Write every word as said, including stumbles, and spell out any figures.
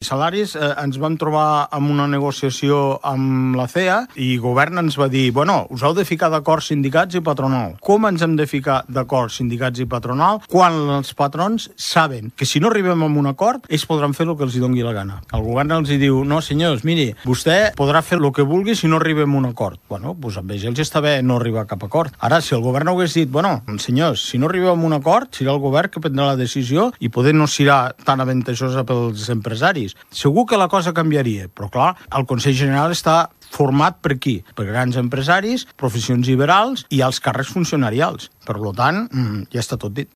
Salaris, eh, ens vam trobar amb una negociació amb la C E A i el govern ens va dir, bueno, us heu de ficar d'acord sindicats i patronal. Com ens hem de ficar d'acord sindicats i patronal quan els patrons saben que si no arribem a un acord, ells podran fer el que els hi doni la gana. El govern els hi diu, no senyors, miri, vostè podrà fer el que vulgui si no arribem a un acord. Bueno, doncs amb ells els està bé no arribar a cap acord. Ara, si el govern hagués dit, bueno, senyors, si no arribem a un acord, serà el govern que prendrà la decisió i poder no serà tan avantatjosa pels empresaris. Segur que la cosa canviaria, però clar, el Consell General està format per qui? Per grans empresaris, professions liberals i els càrrecs funcionarials. Per tant, ja està tot dit.